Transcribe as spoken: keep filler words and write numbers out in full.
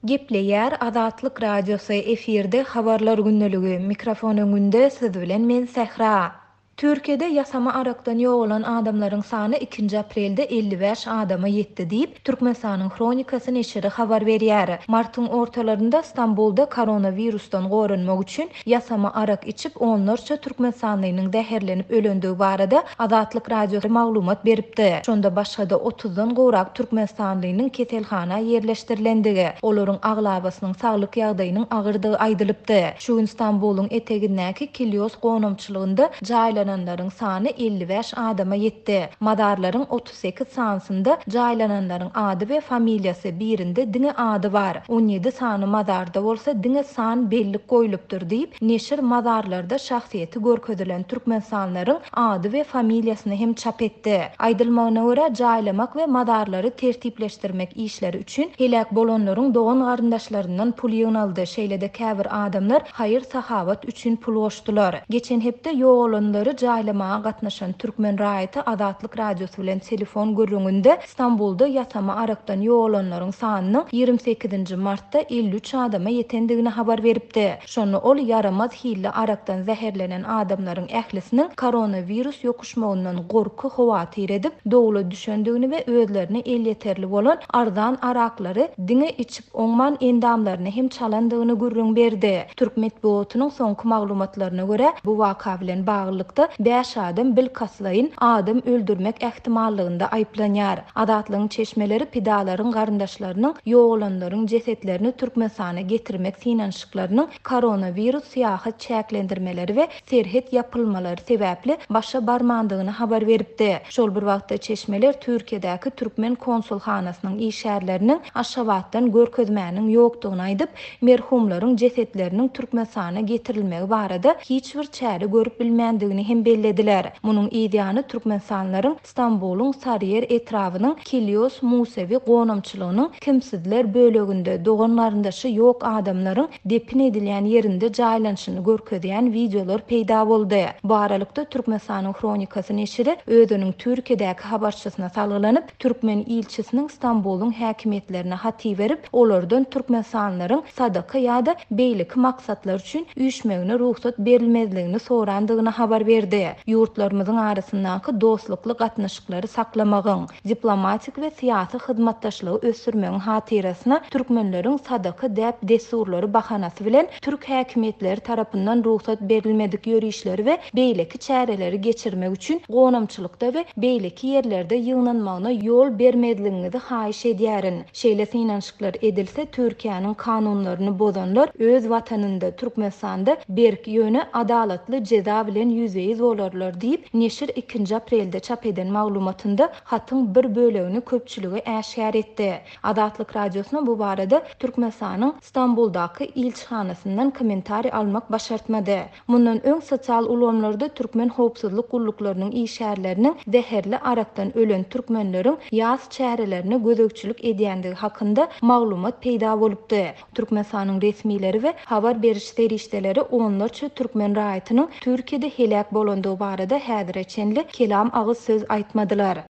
Gepleýär Azatlyk Radiosy, efirde Habarlar gündeligi, mikrofon öňünde siz bilen men Sähra. Türkiýede ýasama arakdan ýogalan adamlaryň sany ikinji aprelde elli bäş adama ýetdi diýip, Türkmenistanyň Hronikasy neşiri habar berýär. Martyň ortalarynda Stambulda koronawirusdan goranmak üçin ýasama arak içip onlarça türkmenistanlynyň zäherlenip ölendigi barada Azatlyk Radiosy maglumat beripdi. Şonda başga-da otuzdan gowrak türkmenistanlynyň keselhana ýerleşdirilendigi, olaryň aglabasynyň saglyk ýagdaýynyň agyrdygy aýdylypdy. Şu gün Stambulyň etegindäki Kilýos gonamçylygynda jaýlananlaryň sany elli bäş adama ýetdi. Mazarlaryň otuz sekiz sanysynda jaýlananlaryň ady we familiýasy, birinde diňe ady bar. On ýedi sany mazarda bolsa diňe san bellik goýlupdyr diýip, neşir mazarlarda şahsyýeti görkezilen türkmenistanlaryň ady we familiýasyny hem çap etdi. Aýdylmagyna görä, jaýlamak we mazarlary tertipleşdirmek işleri üçin heläk bolanlaryň dogan garyndaşlaryndan pul ýygnaldy. Şeýle-de käbir adamlar haýyr-sahawat üçin pul goşdular. Geçen hepde ýogalanlary jaýlamaga gatnaşan türkmen raýaty Azatlyk Radiosy bilen telefon gürrüňinde Stambulda ýasama arakdan ýogalanlaryň sanynyň ýigrimi sekizinji martda elli üç adama ýetendigini habar beripdi. Şonda ol ýaramaz hilli arakdan zäherlenen adamlaryň ählisiniň koronawirus ýokuşmagyndan gorky howatyr edip, dowla düşendigini we özlerine elýeterli bolan arzan araklary diňe içip oňman endamlaryny hem çalandygyny gürrüň berdi. Türk metbugatynyň soňky maglumatlaryna görä, bu waka bilen baglylykda bäş adam bilkastlaýyn adam öldürmek ähtimallygynda aýyplanýar. Azatlygyň çeşmeleri pidalaryň garyndaşlarynyň ýogalanlaryň jesetlerini Türkmenistana getirmek synanyşyklarynyň koronawirus syýahat çäklendirmeleri we serhet ýapylmalary sebäpli başa barmandygyny habar beripdi. Şol bir wagtda çeşmeler Türkiýedäki türkmen konsulhanasynyň işgärleriniň Aşgabatdan görkezmäniň ýokdugyny aýdyp, merhumlaryň jesetleriniň Türkmenistana getirilmegi barada hiç bir çäre görüp bilmändigini hem bellediler. Munuň ýany Türkmenistanlaryň Stambulyň Sarıyer etrabynyň Kilýos Musewi gonamçylygynyň kimsizler böleginde dogan garyndaşy ýok adamlaryň depin edilýän ýerinde jaýlanyşyny görkezýän wideolar peýda boldy. Bu aralykda Türkmenistanyň Hronikasy neşiri özüniň Türkiýedäki habarçysyna salgylanyp, türkmen ilçisiniň Stambulyň häkimiýetlerine hat berip, olardan türkmenistanlaryň sadaka ýa-da beýleki maksatlar üçin üýşmegine rugsat berilmezligini sorandygyny habar berdi. Ýurtlarymyzyň arasyndaky dostlukly gatnaşyklary saklamagyň, diplomatik we syýasy hyzmatdaşlygy ösdürmegiň hatyrasyna türkmenleriň sadaka däp dessurlary bahanasy bilen türk häkimiýetleri tarapyndan rugsat berilmedik ýörişleri we beýleki çäreleri geçirmek üçin gonamçylykda we beýleki ýerlerde ýygnanmagyna ýol bermezligiňizi haýyş edýärin. Şeýle synanyşyklar edilse, Türkiýäniň kanunlaryny bozanlar öz watanynda Türkmenistanda berk ýöne adalatly jeza bilen ýüzbe-ýüz bolarlar diýip, neşir ikinji aprelde çap eden maglumatynda hatyň bir bölegini köpçülige äşgär etdi. Azatlyk Radiosyna bu barada Türkmenistanyň Stambuldaky ilçihanasyndan kommentariý almak başartmady. Mundan öň sosial ulgamlarda türkmen howpsuzlyk gulluklarynyň işgärleriniň zäherli arakdan ölen türkmenleriň ýas çärelerine gözegçilik edýändigi hakynda maglumat peýda bolupdy. Türkmenistanyň resmileri we habar beriş serişdeleri onlarça türkmen raýatynyň Türkiýede heläk bolandygy barada häzire çenli kelam agyz söz aýtmadylar.